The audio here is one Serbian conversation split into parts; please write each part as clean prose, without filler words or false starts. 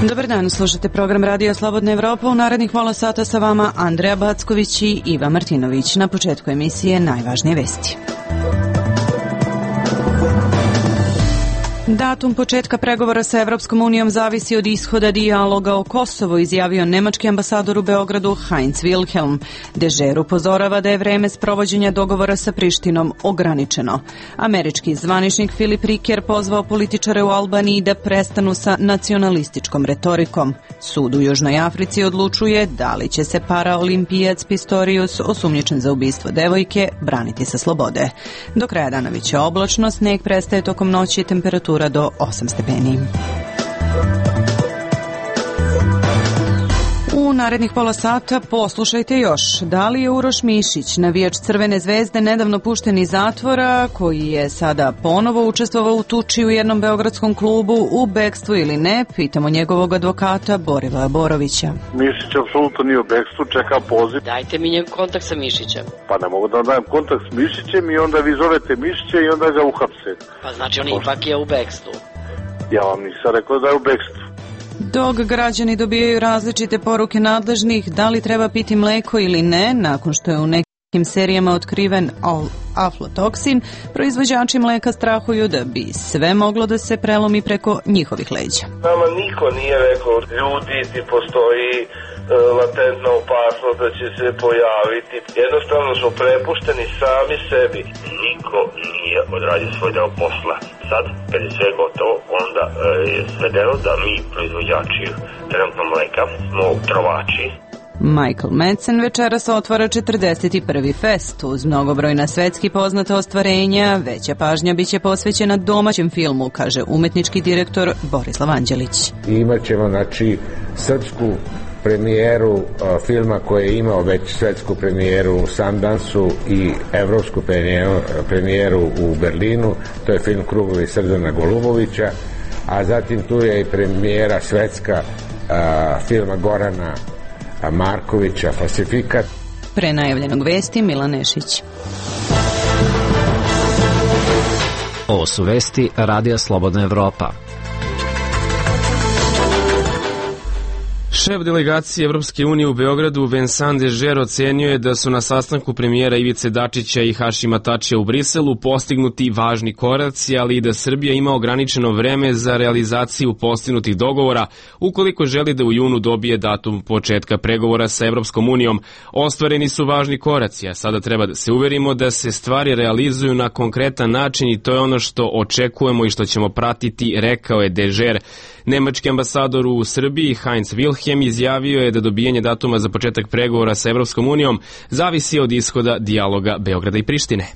Dobar dan, slušate program Radio Slobodna Evropa. U narednih pola sata sa vama Andreja Backović i Iva Martinović. Na početku emisije najvažnije vesti. Datum početka pregovora sa Evropskom unijom zavisi od ishoda dijaloga o Kosovu, izjavio nemački ambasador u Beogradu Heinz Wilhelm. Dežer upozorava da je vreme sprovođenja dogovora sa Prištinom ograničeno. Američki zvaničnik Filip Riker pozvao političare u Albaniji da prestanu sa nacionalističkom retorikom. Sud u Južnoj Africi odlučuje da li će se paraolimpijac Pistorius, osumnjičen za ubistvo devojke, braniti sa slobode. Do kraja dana biće oblačno, sneg prestaje tokom noći i temperatura do 8 stepeni. U narednih pola sata poslušajte još. Da li je Uroš Mišić, navijač Crvene zvezde, nedavno pušten iz zatvora, koji je sada ponovo učestvovao u tuči u jednom beogradskom klubu, u bekstvu ili ne? Pitamo njegovog advokata Borivoja Borovića. Mišić apsolutno nije u bekstvu, čeka poziv. Dajte mi njegov kontakt sa Mišićem. Pa ne mogu da vam dajem kontakt s Mišićem i onda vi zovete Mišića i onda ga uhapse. Pa znači on ipak je u bekstvu. Ja vam nisam rekao da je u bekstvu. Dok građani dobijaju različite poruke nadležnih da li treba piti mleko ili ne, nakon što je u nekim serijama otkriven aflatoksin, proizvođači mleka strahuju da bi sve moglo da se prelomi preko njihovih leđa. Nama niko nije rekao, ljudi, ti postoji latentna opasnost da će se pojaviti. Jednostavno smo prepušteni sami sebi. Niko nije odradio svoj deo posla. Sad, kad je sve gotovo, onda je svedeno da mi, proizvođači trenutno mleka, smo trovači. Michael Madsen večeras otvara 41. fest. Uz mnogobrojna svetski poznata ostvarenja, veća pažnja biće posvećena domaćem filmu, kaže umetnički direktor Borislav Anđelić. Imaćemo, znači, srpsku premijeru filma koji je imao već svetsku premijeru u Sundansu i evropsku premijeru u Berlinu. To je film Krugovi Srdana Golubovića, a zatim tu je i premijera svetska filma Gorana Markovića Falsifikat. Pre najavljenog vesti Milan Nešić. Ovo su vesti Radija Slobodna Evropa. Šef delegacije Evropske unije u Beogradu Vincent Dežer ocenio je da su na sastanku premijera Ivice Dačića i Hašima Tačija u Briselu postignuti važni koraci, ali i da Srbija ima ograničeno vreme za realizaciju postignutih dogovora ukoliko želi da u junu dobije datum početka pregovora sa Evropskom unijom. Ostvareni su važni koraci, a sada treba da se uverimo da se stvari realizuju na konkretan način i to je ono što očekujemo i što ćemo pratiti, rekao je Dežer. Nemački ambasador u Srbiji Heinz Wilhelm izjavio je da dobijanje datuma za početak pregovora sa Evropskom unijom zavisi od ishoda dijaloga Beograda i Prištine.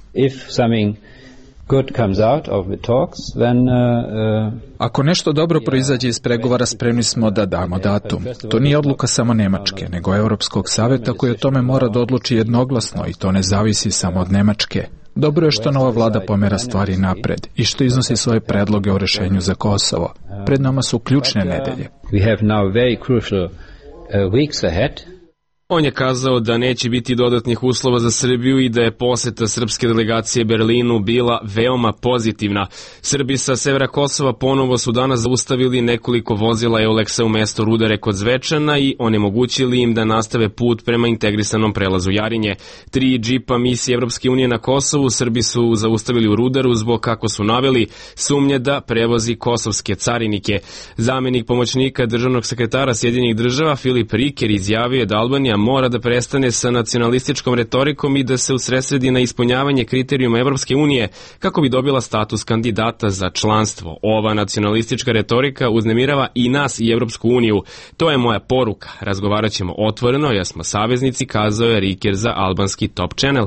Ako nešto dobro proizađe iz pregovora, spremni smo da damo datum. To nije odluka samo Nemačke, nego Europskog saveta koji o tome mora da odluči jednoglasno i to ne zavisi samo od Nemačke. Dobro je što nova vlada pomera stvari napred i što iznosi svoje predloge o rešenju za Kosovo. Pred nama su ključne nedelje. On je kazao da neće biti dodatnih uslova za Srbiju i da je poseta srpske delegacije Berlinu bila veoma pozitivna. Srbi sa severa Kosova ponovo su danas zaustavili nekoliko vozila Euleksa u mesto Rudare kod Zvečana i onemogućili im da nastave put prema integrisanom prelazu Jarinje. 3 džipa misije Evropske unije na Kosovu Srbi su zaustavili u Rudaru zbog, kako su naveli, sumnje da prevozi kosovske carinike. Zamenik pomoćnika državnog sekretara Sjedinjenih država Filip Riker izjavio je da Albanija mora da prestane sa nacionalističkom retorikom i da se usredsredi na ispunjavanje kriterijuma Evropske unije kako bi dobila status kandidata za članstvo. Ova nacionalistička retorika uznemirava i nas i Evropsku uniju. To je moja poruka. Razgovarat ćemo otvoreno, jer smo saveznici, kazao je Riker za albanski Top Channel.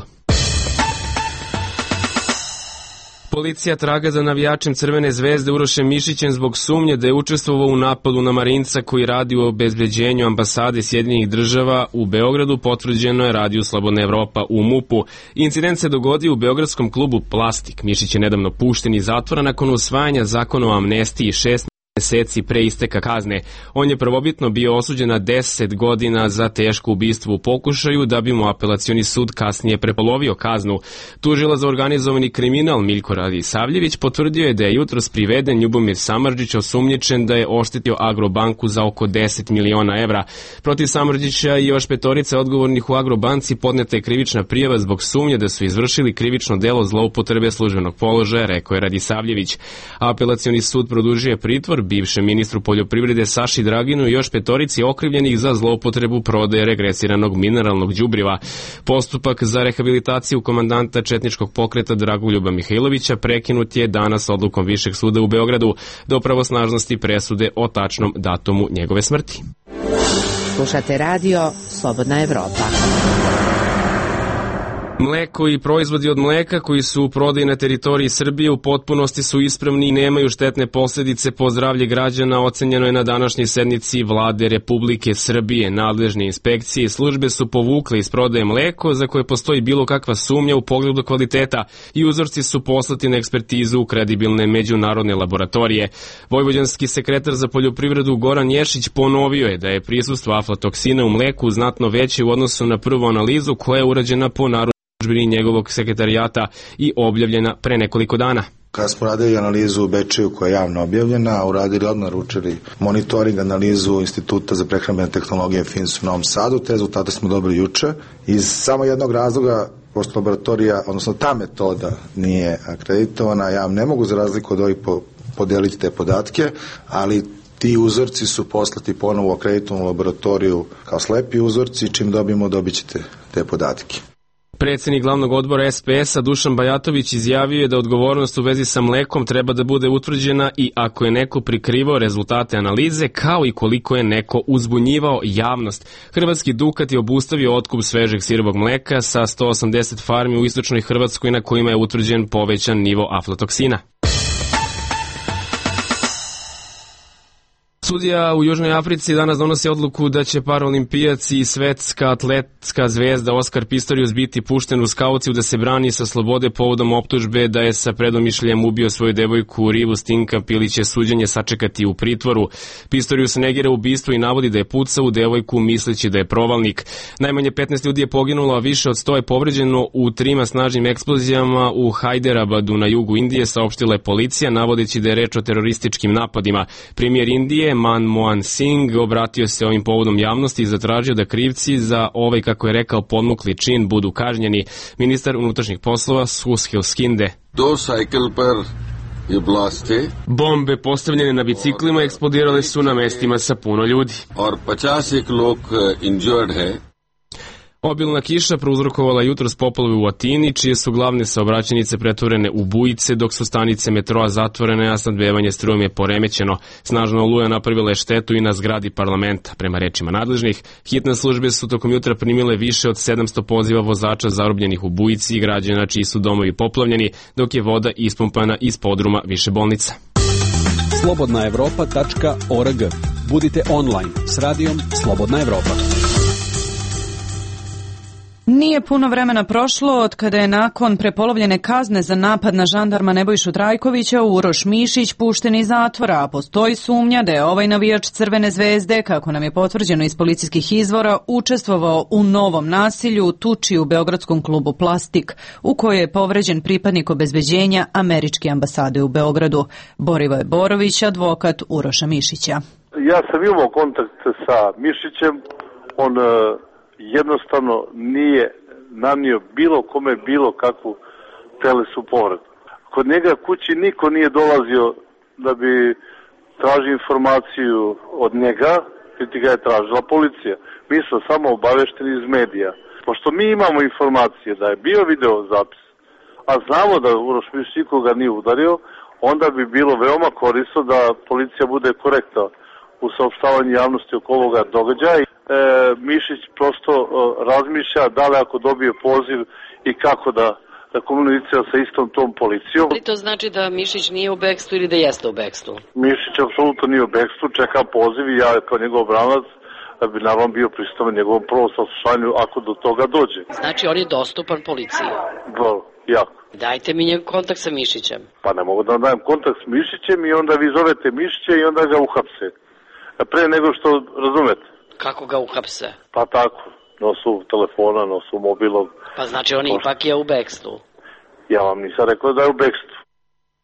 Policija traga za navijačem Crvene zvezde Urošem Mišićem zbog sumnje da je učestvovao u napadu na marinca koji radi u obezbeđenju ambasade Sjedinjenih država u Beogradu, potvrđeno je Radiju Slobodna Evropa u MUP-u. Incident se dogodio u beogradskom klubu Plastik. Mišić je nedavno pušten iz zatvora nakon usvajanja zakona o amnestiji 6 meseci pre isteka kazne. On je prvobitno bio osuđen na 10 godina za teško ubistvo u pokušaju, da bi mu apelacioni sud kasnije prepolovio kaznu. Tužilac za organizovani kriminal Miljko Radisavljević potvrdio je da je jutros priveden Ljubomir Samardžić osumnjičen da je oštetio Agrobanku za oko 10 miliona evra. Protiv Samardžića i još petorice odgovornih u Agrobanci podneta je krivična prijava zbog sumnje da su izvršili krivično delo zloupotrebe službenog položaja, rekao je Radisavljević. Apelacioni sud produžio je pritvor bivšem ministru poljoprivrede Saši Draginu i još petorici okrivljenih za zloupotrebu prodaje regresiranog mineralnog đubriva. Postupak za rehabilitaciju komandanta četničkog pokreta Dragoljuba Mihajlovića prekinut je danas odlukom Višeg suda u Beogradu do pravosnažnosti presude o tačnom datumu njegove smrti. Slušate radio Slobodna Evropa. Mleko i proizvodi od mleka koji su u prodaji na teritoriji Srbije u potpunosti su ispravni i nemaju štetne posljedice po zdravlje građana, ocenjeno je na današnjoj sednici Vlade Republike Srbije. Nadležne inspekcije i službe su povukle iz prodaje mleko za koje postoji bilo kakva sumnja u pogledu kvaliteta i uzorci su poslati na ekspertizu u kredibilne međunarodne laboratorije. Vojvođanski sekretar za poljoprivredu Goran Ješić ponovio je da je prisustvo aflatoksina u mleku znatno veće u odnosu na prvu analizu koja je urađena po narudžbini njegovog sekretarijata i objavljena pre nekoliko dana. Kada smo radili analizu u Bečeju koja je javno objavljena, uradili odmah naručili monitoring analizu Instituta za prehrambene tehnologije FINS u Novom Sadu, te rezultate smo dobili juče. Iz samo jednog razloga, pošto laboratorija, odnosno ta metoda nije akreditovana, ja vam ne mogu za razliku od ovih podeliti te podatke, ali ti uzorci su poslati ponovo u akreditovanu laboratoriju kao slepi uzorci, čim dobit ćete te podatke. Predsednik glavnog odbora SPS-a Dušan Bajatović izjavio je da odgovornost u vezi sa mlekom treba da bude utvrđena i ako je neko prikrivao rezultate analize, kao i koliko je neko uzbunjivao javnost. Hrvatski Dukat je obustavio otkup svežeg sirovog mleka sa 180 farmi u istočnoj Hrvatskoj na kojima je utvrđen povećan nivo aflatoksina. Sudija u Južnoj Africi danas donosi odluku da će paraolimpijac i svetska atletska zvezda Oskar Pistorius biti pušten u Skauciju da se brani sa slobode povodom optužbe da je sa predomišljajem ubio svoju devojku Rivu Stinkamp ili će suđenje sačekati u pritvoru. Pistorius negira ubistvo i navodi da je pucao u devojku misleći da je provalnik. Najmanje 15 ljudi je poginulo, a više od 100 je povređeno u 3 snažnim eksplozijama u Hyderabadu na jugu Indije, saopštila je policija, navodeći da je reč o terorističkim napadima. Premijer Indije Manmohan Singh obratio se ovim povodom javnosti i zatražio da krivci za ovaj, kako je rekao, podmukli čin budu kažnjeni. Ministar unutrašnjih poslova Sushil Skinde. Bombe postavljene na biciklima eksplodirale su na mestima sa puno ljudi. Obilna kiša prouzrokovala jutros poplave u Atini, čije su glavne saobraćajnice pretvorene u bujice, dok su stanice metroa zatvorene, a snabdevanje strujom je poremećeno. Snažna oluja napravila je štetu i na zgradi parlamenta. Prema rečima nadležnih, hitne službe su tokom jutra primile više od 700 poziva vozača zarobljenih u bujici i građana čiji su domovi poplavljeni, dok je voda ispumpana iz podruma više bolnica. slobodnaevropa.org. Budite online s radijom Slobodna Evropa. Nije puno vremena prošlo od kada je nakon prepolovljene kazne za napad na žandarma Nebojšu Trajkovića Uroš Mišić pušten iz zatvora, a postoji sumnja da je ovaj navijač Crvene zvezde, kako nam je potvrđeno iz policijskih izvora, učestvovao u novom nasilju u tuči u beogradskom klubu Plastik, u kojoj je povređen pripadnik obezbeđenja Američke ambasade u Beogradu. Borivoje Borović, advokat Uroša Mišića. Ja sam imao kontakt sa Mišićem, on jednostavno nije nanio bilo kome bilo kakvu telesu povredu. Kod njega kući niko nije dolazio da bi tražio informaciju od njega, niti ga je tražila policija. Mi smo samo obavešteni iz medija. Pošto mi imamo informacije da je bio video zapis, a znamo da Uroš Mišić nikoga nije udario, onda bi bilo veoma korisno da policija bude korektna u saopštavanju javnosti oko ovoga događaja. Mišić prosto razmišlja da li ako dobije poziv i kako da komunicira sa istom tom policijom. Ali to znači da Mišić nije u bekstvu ili da jeste u bekstvu? Mišić apsolutno nije u bekstvu, čeka poziv i ja kao njegov branac bi naravno bio pristojan njegovom prvom saslušanju ako do toga dođe. Znači on je dostupan policiji? Jako. Dajte mi njegov kontakt sa Mišićem. Pa ne mogu da vam dajem kontakt s Mišićem i onda vi zovete Mišića i onda ga uhapse. Pre nego što razumete. Kako ga uhapse? Pa tako, nosu telefona, nosu mobilom. Pa znači on ipak je u bekstvu. Ja vam nisam rekao da je u bekstvu.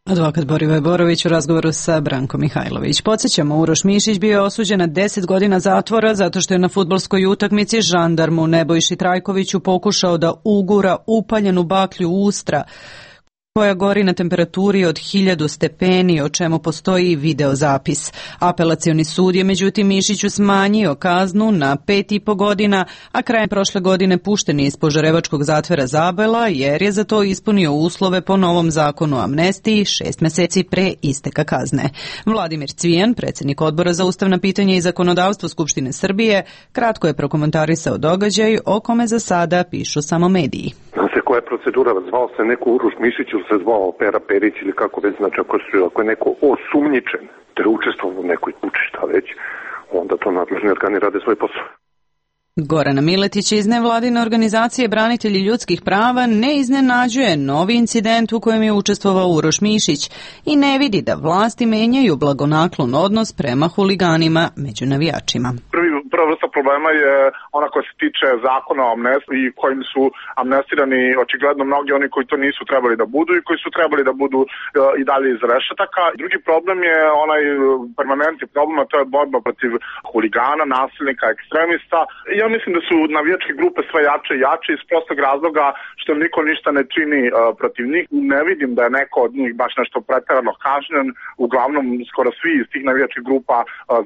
Advokat Borivoje Borović u razgovoru sa Brankom Mihajlović. Podsjećamo, Uroš Mišić bio je osuđen na 10 godina zatvora zato što je na fudbalskoj utakmici žandarmu Nebojši Trajkoviću pokušao da ugura upaljenu baklju ustra koja gori na temperaturi od 1000 stepeni, o čemu postoji i videozapis. Apelacioni sud je međutim Mišiću smanjio kaznu na 5,5 godina, a krajem prošle godine pušten je iz Požarevačkog zatvora Zabela jer je za to ispunio uslove po novom zakonu o amnestiji 6 meseci pre isteka kazne. Vladimir Cvijan, predsjednik Odbora za ustavna pitanja i zakonodavstvo Skupštine Srbije, kratko je prokomentarisao događaj o kome za sada pišu samo mediji. Koja je procedura, zvao se neko Uroš Mišić ili se zvao Pera Perić ili kako već, znači ako je neko osumnjičen da je učestvovao u nekoj kući, šta već, onda to nadležni organi rade svoj posao. Gorana Miletić iz nevladine organizacije Branitelji ljudskih prava ne iznenađuje novi incident u kojem je učestvovao Uroš Mišić i ne vidi da vlasti menjaju blagonaklon odnos prema huliganima među navijačima. Prva vrsta problema je ona koja se tiče zakona o amnestiji kojim su amnestirani očigledno mnogi oni koji to nisu trebali da budu i koji su trebali da budu i dalje iz rešetaka. Drugi problem je onaj permanentni problem, a to je borba protiv huligana, nasilnika, ekstremista. Ja mislim da su navijačke grupe sve jače i jače iz prostog razloga što niko ništa ne čini protiv njih. Ne vidim da je neko od njih baš nešto preterano kažnjen. Uglavnom, skoro svi iz tih navijačkih grupa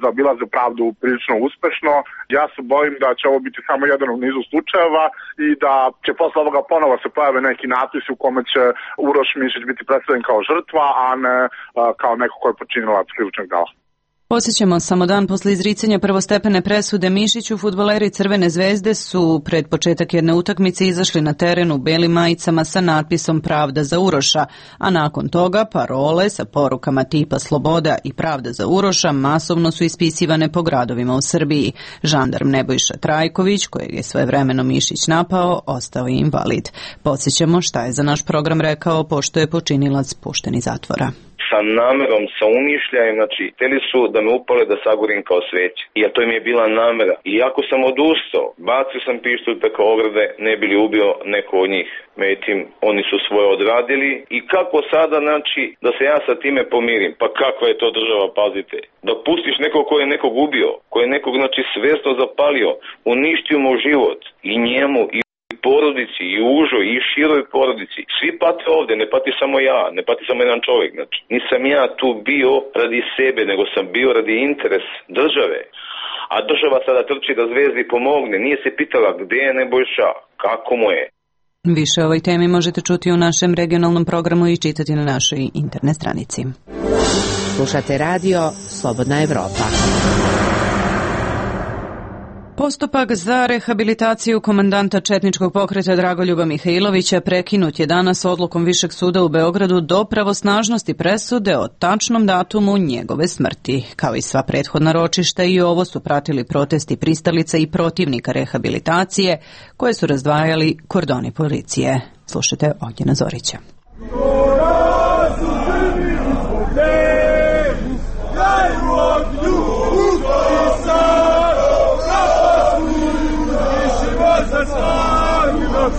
zaobilaze pravdu prilično uspešno. Ja se bojim da će ovo biti samo jedan u nizu slučajeva i da će posle ovoga ponovo se pojave neki natpisi u kome će Uroš Mišić biti predstavljen kao žrtva, a ne kao neko ko je počinilac krivičnog dela. Podsjećamo, samo dan posle izricanja prvostepene presude Mišiću, fudbaleri Crvene zvezde su pred početak jedne utakmice izašli na teren u belim majicama sa natpisom Pravda za Uroša, a nakon toga parole sa porukama tipa Sloboda i Pravda za Uroša masovno su ispisivane po gradovima u Srbiji. Žandarm Nebojša Trajković, kojeg je svojevremeno Mišić napao, ostao je invalid. Podsjećamo šta je za naš program rekao pošto je počinilac pušten iz zatvora. Sa namerom, sa umišljajem, znači, hteli su da me upale da sagorim kao sveće. Jer to im je bila namera. I ako sam odustao, bacio sam pištolj preko ograde, ne bi li ubio neko od njih. Međutim, oni su svoje odradili. I kako sada, znači, da se ja sa time pomirim? Pa kakva je to država, pazite. Da pustiš nekog ko je nekog ubio, ko je nekog, znači, svesno zapalio, uništio mu život i njemu i porodici, i užoj, i široj porodici. Svi pate ovde, ne pati samo ja, ne pati samo jedan čovjek. Znači, nisam ja tu bio radi sebe, nego sam bio radi interes države. A država sada trči da Zvezdi pomogne. Nije se pitala gde je Nebojša, kako mu je. Više o ovoj temi možete čuti u našem regionalnom programu i čitati na našoj internet stranici. Slušate radio Slobodna Evropa. Postupak za rehabilitaciju komandanta četničkog pokreta Dragoljuba Mihajlovića prekinut je danas odlukom Višeg suda u Beogradu do pravosnažnosti presude o tačnom datumu njegove smrti. Kao i sva prethodna ročišta, i ovo su pratili protesti pristalica i protivnika rehabilitacije koje su razdvajali kordoni policije. Slušajte Ognjena Zorića.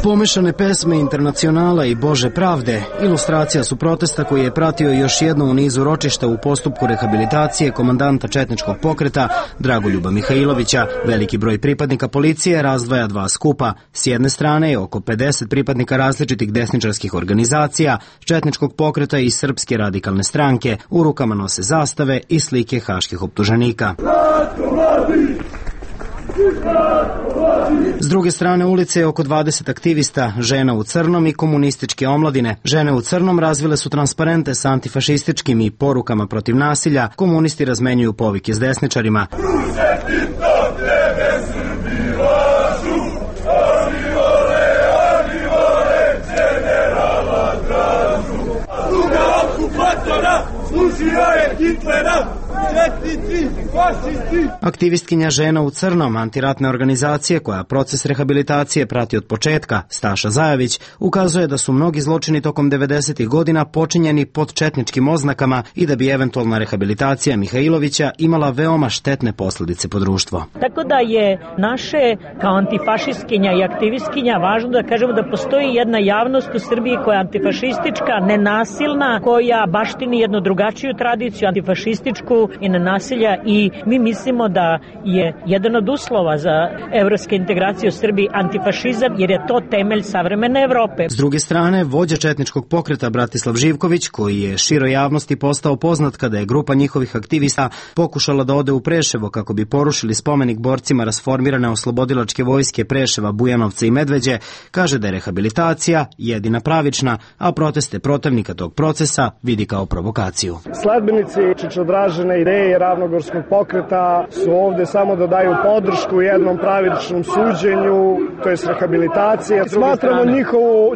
Pomešane pesme Internacionala i Bože pravde ilustracija su protesta koji je pratio još jedno u nizu ročišta u postupku rehabilitacije komandanta četničkog pokreta Dragoljuba Mihajlovića. Veliki broj pripadnika policije razdvaja dva skupa. S jedne strane je oko 50 pripadnika različitih desničarskih organizacija, četničkog pokreta i Srpske radikalne stranke. U rukama nose zastave i slike haških optuženika. S druge strane ulice je oko 20 aktivista, žena u crnom i komunističke omladine. Žene u crnom razvile su transparente sa antifašističkim i porukama protiv nasilja. Komunisti razmenjuju povike s desničarima. Služio je Hitlera, četnici Aktivistkinja Žena u crnom antiratne organizacije koja proces rehabilitacije prati od početka, Staša Zajević, ukazuje da su mnogi zločini tokom 90. godina počinjeni pod četničkim oznakama i da bi eventualna rehabilitacija Mihajlovića imala veoma štetne posljedice po društvo. Tako da je naše kao antifašistkinja i aktivistkinja važno da kažemo da postoji jedna javnost u Srbiji koja je antifašistička, nenasilna, koja baštini jednu drugačiju tradiciju, antifašističku i nenasilja, i mi mislimo da je jedan od uslova za evropske integracije u Srbiji antifašizam, jer je to temelj savremene Evrope. S druge strane, vođa četničkog pokreta Bratislav Živković, koji je široj javnosti postao poznat kada je grupa njihovih aktivista pokušala da ode u Preševo kako bi porušili spomenik borcima rasformirane oslobodilačke vojske Preševa, Bujanovca i Medveđe, kaže da je rehabilitacija jedina pravična, a proteste protivnika tog procesa vidi kao provokaciju. Sledbenici Čečodražene ideje Ravnogorskog pokreta su ovde samo da daju podršku jednom pravičnom suđenju, to je rehabilitacija. Smatramo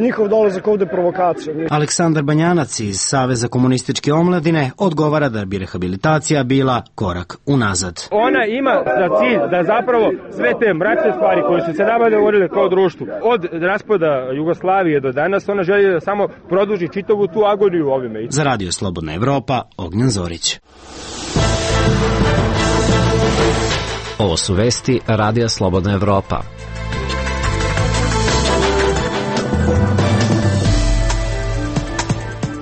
njihov dolazak ovde provokacijom. Aleksandar Banjanac iz Saveza komunističke omladine odgovara da bi rehabilitacija bila korak unazad. Ona ima za cilj da zapravo sve te mračne stvari koje su se nama dogovorile kao društvu, od raspada Jugoslavije do danas, ona želi da samo produži čitavu tu agoniju ovime. Za Radio Slobodna Evropa, Ognjen Zorić. Ovo su vesti Radija Slobodna Evropa.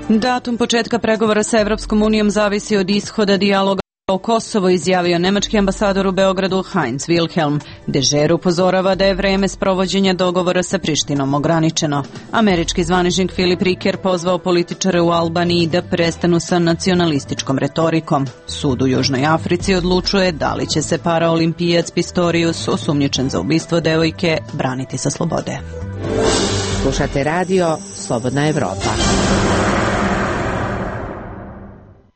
Datum početka pregovora sa Evropskom unijom zavisi od ishoda dijaloga o Kosovo, izjavio nemački ambasador u Beogradu Heinz Wilhelm. Dežer upozorava da je vreme sprovođenja dogovora sa Prištinom ograničeno. Američki zvaničnik Filip Riker pozvao političare u Albaniji da prestanu sa nacionalističkom retorikom. Sud u Južnoj Africi odlučuje da li će se paraolimpijac Pistorius, osumnjičen za ubistvo devojke, braniti sa slobode. Slušate radio Slobodna Evropa.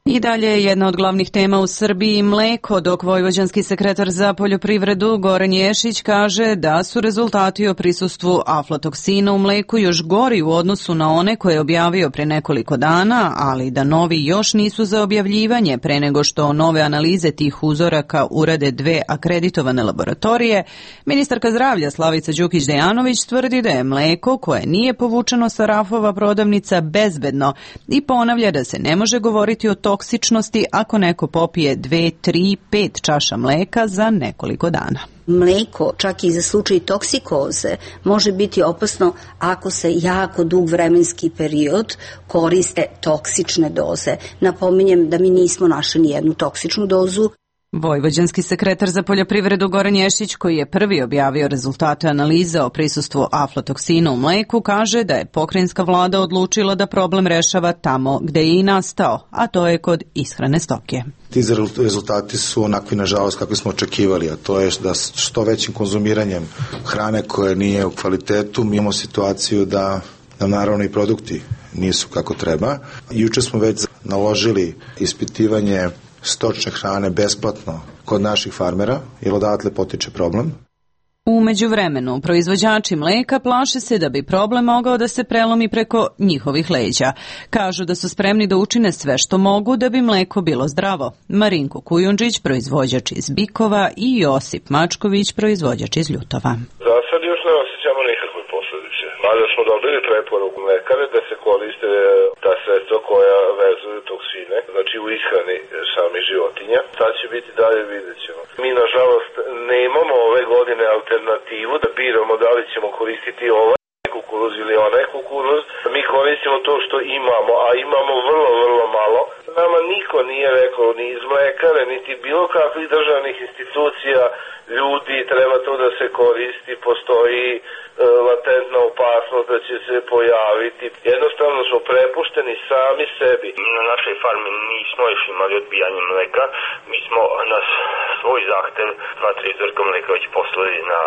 I dalje je jedna od glavnih tema u Srbiji mleko, dok vojvođanski sekretar za poljoprivredu Goran Ješić kaže da su rezultati o prisustvu aflatoksina u mleku još gori u odnosu na one koje je objavio pre nekoliko dana, ali da novi još nisu za objavljivanje pre nego što nove analize tih uzoraka urade dve akreditovane laboratorije. Ministarka zdravlja Slavica Đukić-Dejanović tvrdi da je mleko koje nije povučeno sa rafova prodavnica bezbedno i ponavlja da se ne može govoriti o toksičnosti ako neko popije 2, 3, 5 čaša mleka za nekoliko dana. Mleko, čak i za slučaj toksikoze, može biti opasno ako se jako dug vremenski period koriste toksične doze. Napominjem da mi nismo našli ni jednu toksičnu dozu. Vojvođanski sekretar za poljoprivredu Goran Ješić, koji je prvi objavio rezultate analize o prisustvu aflatoksina u mleku, kaže da je pokrajinska vlada odlučila da problem rešava tamo gde je i nastao, a to je kod ishrane stoke. Ti rezultati su onakvi, nažalost, kakvi smo očekivali, a to je da što većim konzumiranjem hrane koje nije u kvalitetu, mi imamo situaciju da nam naravno i produkti nisu kako treba. Juče smo već naložili ispitivanje stočne hrane besplatno kod naših farmera, jer odatle potiče problem. U međuvremenu, proizvođači mleka plaše se da bi problem mogao da se prelomi preko njihovih leđa. Kažu da su spremni da učine sve što mogu da bi mleko bilo zdravo. Marinko Kujundžić, proizvođač iz Bikova, i Josip Mačković, proizvođač iz Ljutova. Za sad još ne osjećamo nikakve posljedice. Mada smo dobili preporuku mlekare da se koriste ta sredstva koja vezuju toksine, znači u ishrani samih životinja. Sad će biti dalje, vidjet ćemo. Mi, nažalost, nemamo ove godine alternativu da biramo da li ćemo koristiti ovaj kukuruz ili onaj kukuruz. Mi koristimo to što imamo, a imamo vrlo, vrlo malo. Nama niko nije rekao ni iz mlekare, niti bilo kakvih državnih institucija, ljudi, treba to da se koristi, postoji latentna opasnost da će se pojaviti. Jednostavno smo prepušteni sami sebi. Mi na našoj farmi nismo još imali odbijanje mleka, mi smo na svoj zahtev 2-3 uzorka mleka već poslali na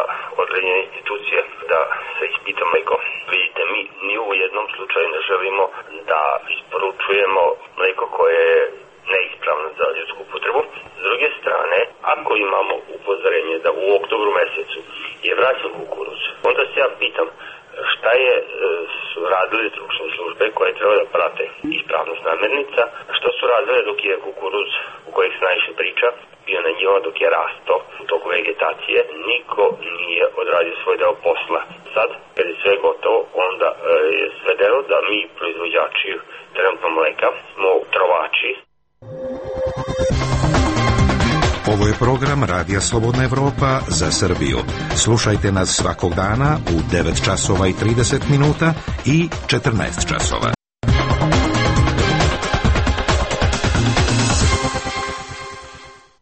određene institucije da se ispita mleko. Vidite, mi ni u jednom slučaju ne želimo da isporučujemo mleko koje je neispravno za ljudsku upotrebu. S druge strane, ako imamo upozorenje da u oktobru mesecu je vraćan kukuruz, onda se ja pitam šta je radili stručne službe koje treba da prate ispravnost namirnica, što su radile dok je kukuruz u kojeg se najviše priča, bio na njima dok je rasto u toku vegetacije, niko nije odradio svoj deo posla. Sad, kad je sve gotovo, onda je svedeno da mi, proizvođači trenutno mleka, smo trovači. Ovo je program Radija Slobodna Evropa za Srbiju. Slušajte nas svakog dana u 9 časova i 30 minuta i 14 časova.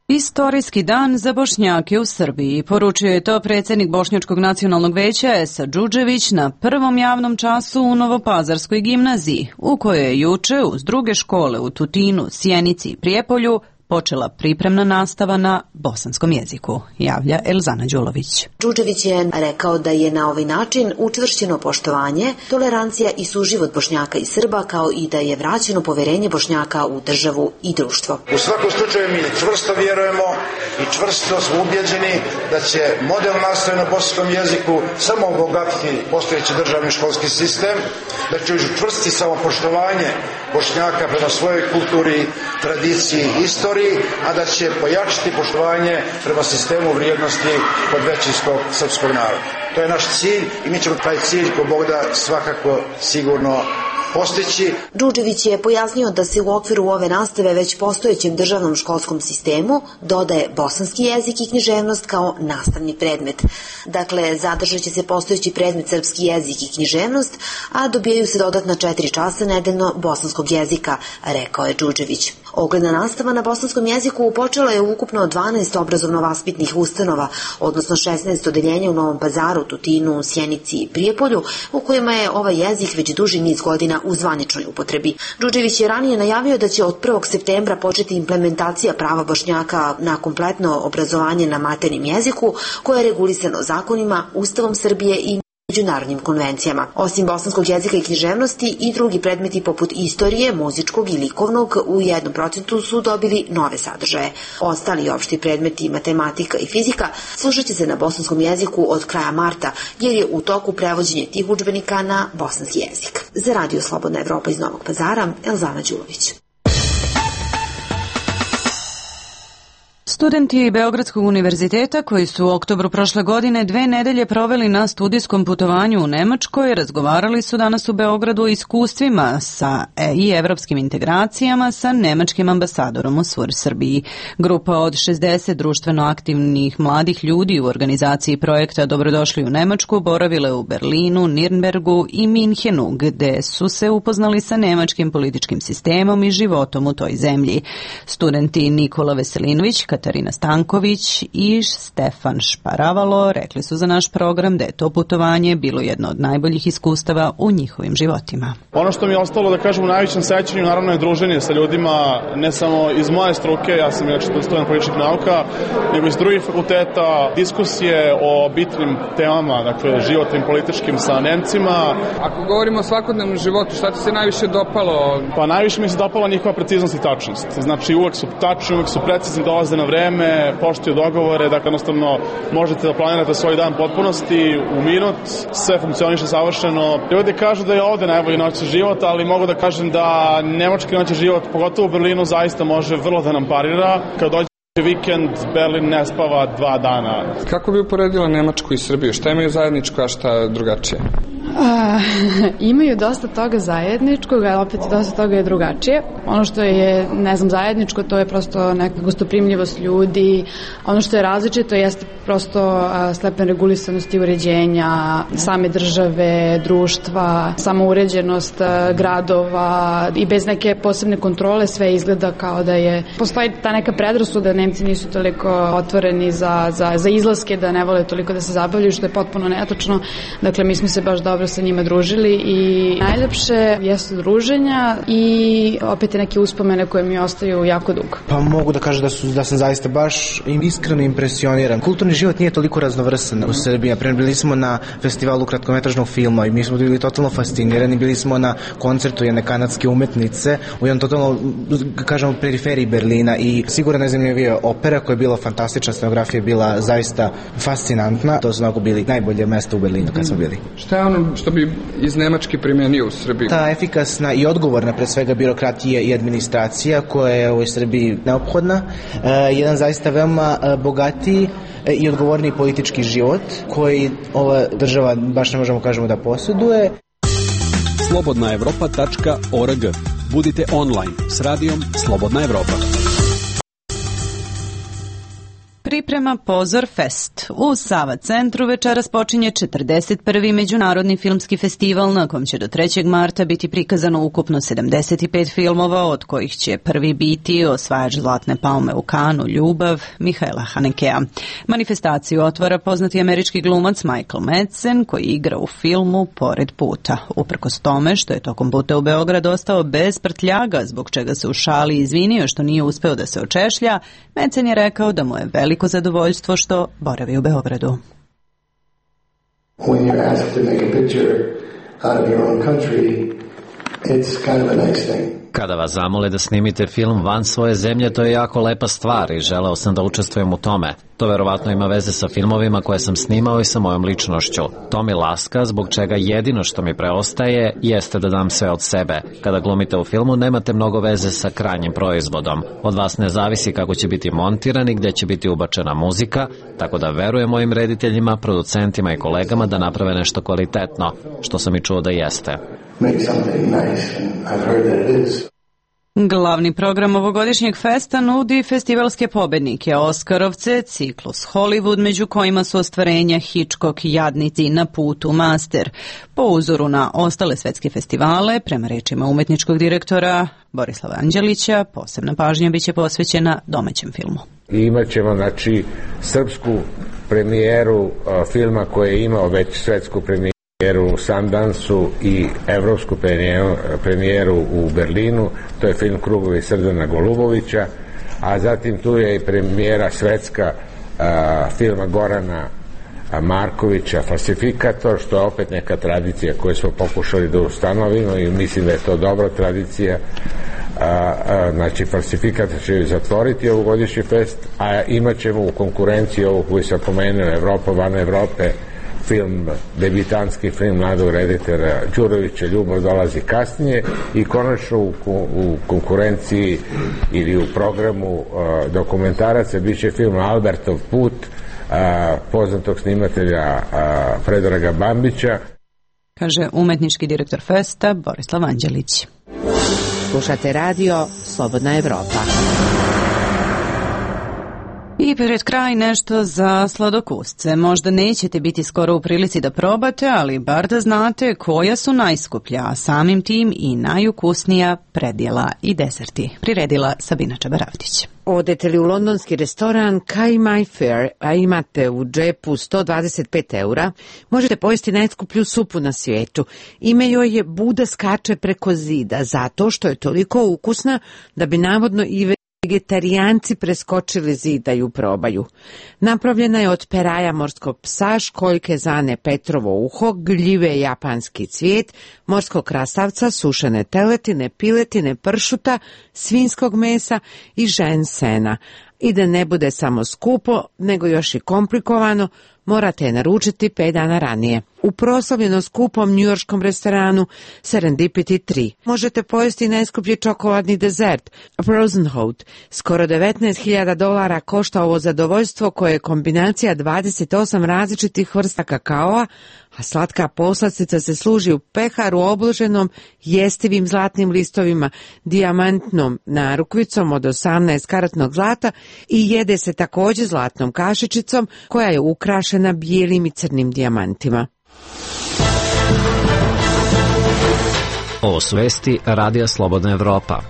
Istorijski dan za Bošnjake u Srbiji. Poručio je to predsjednik Bošnjačkog nacionalnog veća Esa Đuđević na prvom javnom času u Novopazarskoj gimnaziji, u kojoj je juče uz druge škole u Tutinu, Sjenici i Prijepolju počela pripremna nastava na bosanskom jeziku, javlja Elzana Đulović. Đuđević je rekao da je na ovaj način učvršćeno poštovanje, tolerancija i suživot Bošnjaka i Srba, kao i da je vraćeno poverenje Bošnjaka u državu i društvo. U svakom slučaju mi čvrsto vjerujemo i čvrsto smo ubjeđeni da će model nastave na bosanskom jeziku samo obogatiti postojeći državni školski sistem, da će učvrstiti samopoštovanje Bošnjaka prema svojoj kulturi, tradiciji, istoriji, a da će pojačati poštovanje prema sistemu vrijednosti kod većinskog srpskog naroda. To je naš cilj i mi ćemo taj cilj ko Bog da svakako sigurno postići. Đuđević je pojasnio da se u okviru ove nastave već postojećem državnom školskom sistemu dodaje bosanski jezik i književnost kao nastavni predmet. Dakle, zadržat će se postojeći predmet srpski jezik i književnost, a dobijaju se dodatna 4 časa nedeljno bosanskog jezika, rekao je Đuđević. Ogledna nastava na bosanskom jeziku počela je ukupno 12 obrazovno-vaspitnih ustanova, odnosno 16 odeljenja u Novom Pazaru, Tutinu, Sjenici i Prijepolju, u kojima je ovaj jezik već duži niz godina u zvaničnoj upotrebi. Đuđević je ranije najavio da će od 1. septembra početi implementacija prava Bošnjaka na kompletno obrazovanje na maternjem jeziku, koje je regulisano zakonima, Ustavom Srbije i međunarodnim konvencijama. Osim bosanskog jezika i književnosti i drugi predmeti poput istorije, muzičkog i likovnog u 1% su dobili nove sadržaje. Ostali opšti predmeti, matematika i fizika, slušat će se na bosanskom jeziku od kraja marta, jer je u toku prevođenje tih udžbenika na bosanski jezik. Za Radio Slobodna Evropa iz Novog Pazara, Elzana Đulović. Studenti Beogradskog univerziteta koji su u oktobru prošle godine 2 nedelje proveli na studijskom putovanju u Nemačkoj razgovarali su danas u Beogradu o iskustvima i evropskim integracijama sa nemačkim ambasadorom u Srbiji. Grupa od 60 društveno aktivnih mladih ljudi u organizaciji projekta Dobrodošli u Nemačku boravile u Berlinu, Nirnbergu i Minhenu, gde su se upoznali sa nemačkim političkim sistemom i životom u toj zemlji. Studenti Nikola Veselinović, Katarina Stanković i Stefan Šparavalo rekli su za naš program da je to putovanje bilo jedno od najboljih iskustava u njihovim životima. Ono što mi je ostalo da kažem u najvećem sećanju naravno je druženje sa ljudima, ne samo iz moje struke, ja sam student političkih nauka, nego iz drugih fakulteta, diskusije o bitnim temama, dakle životnim, političkim sa Nemcima. Ako govorimo o svakodnevnom životu, šta ti se najviše dopalo? Pa najviše mi se dopala njihova preciznost i tačnost. Znači uvek su tačni, uvek su precizni, dolaze na vreme, poštuju dogovore, dakle jednostavno možete da planirate svoj dan potpunosti u minut, sve funkcioniše savršeno. Ljudi kažu da je ovde najbolji noćni život, ali mogu da kažem da nemački noćni život, pogotovo u Berlinu, zaista može vrlo da nam parira. Kad dođe vikend, Berlin ne spava 2 dana. Kako bi uporedila Nemačku i Srbiju? Šta imaju zajedničko, a šta drugačije? Imaju dosta toga zajedničkog, a opet dosta toga je drugačije. Ono što je, zajedničko, to je prosto neka gostoprimljivost ljudi. Ono što je različito jeste prosto stepen regulisanosti uređenja same države, društva, samouređenost gradova i bez neke posebne kontrole sve izgleda kao da je... Postoji ta neka predrasuda da Nemci nisu toliko otvoreni za izlaske, da ne vole toliko da se zabavljaju, što je potpuno netočno. Dakle, mi smo se baš dobro sa njima družili i najlepše jesu druženja i opet neke uspomene koje mi ostaju jako dugo. Pa mogu da kažem da sam zaista baš iskreno impresioniran. Kulturni kulturni život nije toliko raznovrsan u Srbiji. Bili smo na festivalu kratkometražnog filma i mi smo bili totalno fascinirani. Bili smo na koncertu jedne kanadske umetnice u jednom totalno, kažemo, periferiji Berlina i sigurno najzanimljivija opera koja je bila fantastična, scenografija je bila zaista fascinantna. To su onako bili najbolje mesta u Berlinu kad smo bili. Šta je ono što bi iz Nemačke primenio u Srbiji? Ta efikasna i odgovorna pre svega birokratija i administracija koja je u Srbiji neophodna. Jedan zaista veoma bogatiji i odgovorniji politički život koji ova država baš ne možemo kažemo da posjeduje. slobodnaevropa.org. Budite online s radijom Slobodna Evropa. Priprema Pozor Fest. U Sava centru večeras počinje 41. Međunarodni filmski festival na kom će do 3. marta biti prikazano ukupno 75 filmova, od kojih će prvi biti osvajač Zlatne palme u Kanu, Ljubav, Mihaela Hanekea. Manifestaciju otvara poznati američki glumac Michael Madsen koji igra u filmu Pored puta. Uprkos tome što je tokom puta u Beograd ostao bez prtljaga, zbog čega se u šali izvinio što nije uspeo da se očešlja, Madsen je rekao da mu je veliko zadovoljstvo što boravi u Beogradu. When you're asked to make a picture out of your own country, it's kind of a nice thing. Kada vas zamole da snimite film van svoje zemlje, to je jako lepa stvar i želeo sam da učestvujem u tome. To verovatno ima veze sa filmovima koje sam snimao i sa mojom ličnošću. To mi laska, zbog čega jedino što mi preostaje jeste da dam sve od sebe. Kada glumite u filmu, nemate mnogo veze sa krajnjim proizvodom. Od vas ne zavisi kako će biti montiran i gde će biti ubačena muzika, tako da verujem mojim rediteljima, producentima i kolegama da naprave nešto kvalitetno, što sam i čuo da jeste. Glavni program ovogodišnjeg festa nudi festivalske pobednike, Oskarovce, ciklus Hollywood, među kojima su ostvarenja Hitchcock, Jadnici, Na putu, Master. Po uzoru na ostale svetske festivale, prema rečima umetničkog direktora Borislava Anđelića, posebna pažnja biće posvećena domaćem filmu. Imaćemo, znači, srpsku premijeru filma koji je imao već svetsku premijeru u Sundansu i evropsku premijeru u Berlinu, to je film Krugovi Srdana Golubovića, a zatim tu je i premijera svetska filma Gorana Markovića Falsifikator, što je opet neka tradicija koju smo pokušali da ustanovimo i mislim da je to dobra tradicija. Znači Falsifikator će zatvoriti ovogodišnji fest, a imat ćemo u konkurenciji ovu koju sam pomenuo, Evropa van Evrope, film, debitanski film mladog reditelja Đurovića Ljubav dolazi kasnije i konačno u konkurenciji ili u programu dokumentaraca biće film Albertov put poznatog snimatelja Predraga Bambića. Kaže umetnički direktor festa Borislav Anđelić. Slušate radio Slobodna Evropa. I pred kraj nešto za sladokusce. Možda nećete biti skoro u prilici da probate, ali bar da znate koja su najskuplja, a samim tim i najukusnija predjela i deserti. Priredila Sabina Čabaravdić. Odete li u londonski restoran Kai My Fair, a imate u džepu 125 eura, možete pojesti najskuplju supu na svijetu. Ime joj je Buda skače preko zida, zato što je toliko ukusna da bi navodno i vegetarijanci preskočili zid da ju probaju. Napravljena je od peraja morskog psa, školjke zane Petrovo uho, gljive japanski cvijet, morskog krastavca, sušene teletine, piletine, pršuta, svinjskog mesa i žensena. I da ne bude samo skupo, nego još i komplikovano, morate je naručiti 5 dana ranije. U proslavljeno skupom njujorškom restoranu Serendipity 3 možete pojesti najskuplji čokoladni dezert, Frozen Hot. Skoro $19,000 košta ovo zadovoljstvo koje je kombinacija 28 različitih vrsta kakaoa, a slatka poslastica se služi u peharu obloženom jestivim zlatnim listovima, dijamantnom narukvicom od 18 karatnog zlata i jede se također zlatnom kašičicom koja je ukrašena bijelim i crnim dijamantima. Ovo su vesti Radija Slobodna Evropa.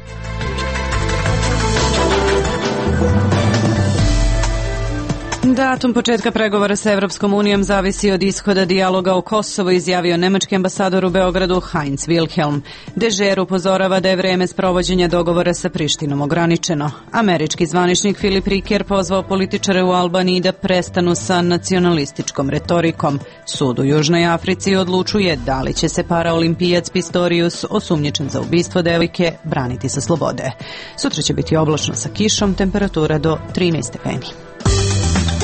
Datum početka pregovora sa Evropskom unijom zavisi od ishoda dijaloga o Kosovu, izjavio nemački ambasador u Beogradu Heinz Wilhelm. Dežer upozorava da je vreme sprovođenja dogovora sa Prištinom ograničeno. Američki zvaničnik Filip Riker pozvao političare u Albaniji da prestanu sa nacionalističkom retorikom. Sud u Južnoj Africi odlučuje da li će se paraolimpijac Pistorius, osumnjičen za ubistvo devojke, braniti sa slobode. Sutra će biti oblačno sa kišom, temperatura do 13 stepeni.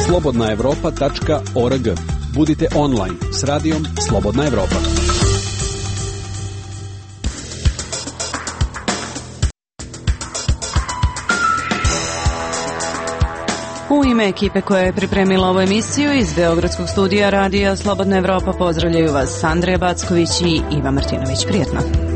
Slobodnaevropa.org. Budite online s radijom Slobodna Evropa. U ime ekipe koja je pripremila ovu emisiju iz Beogradskog studija radija Slobodna Evropa pozdravljaju vas Andreja Backović i Iva Martinović. Prijetno.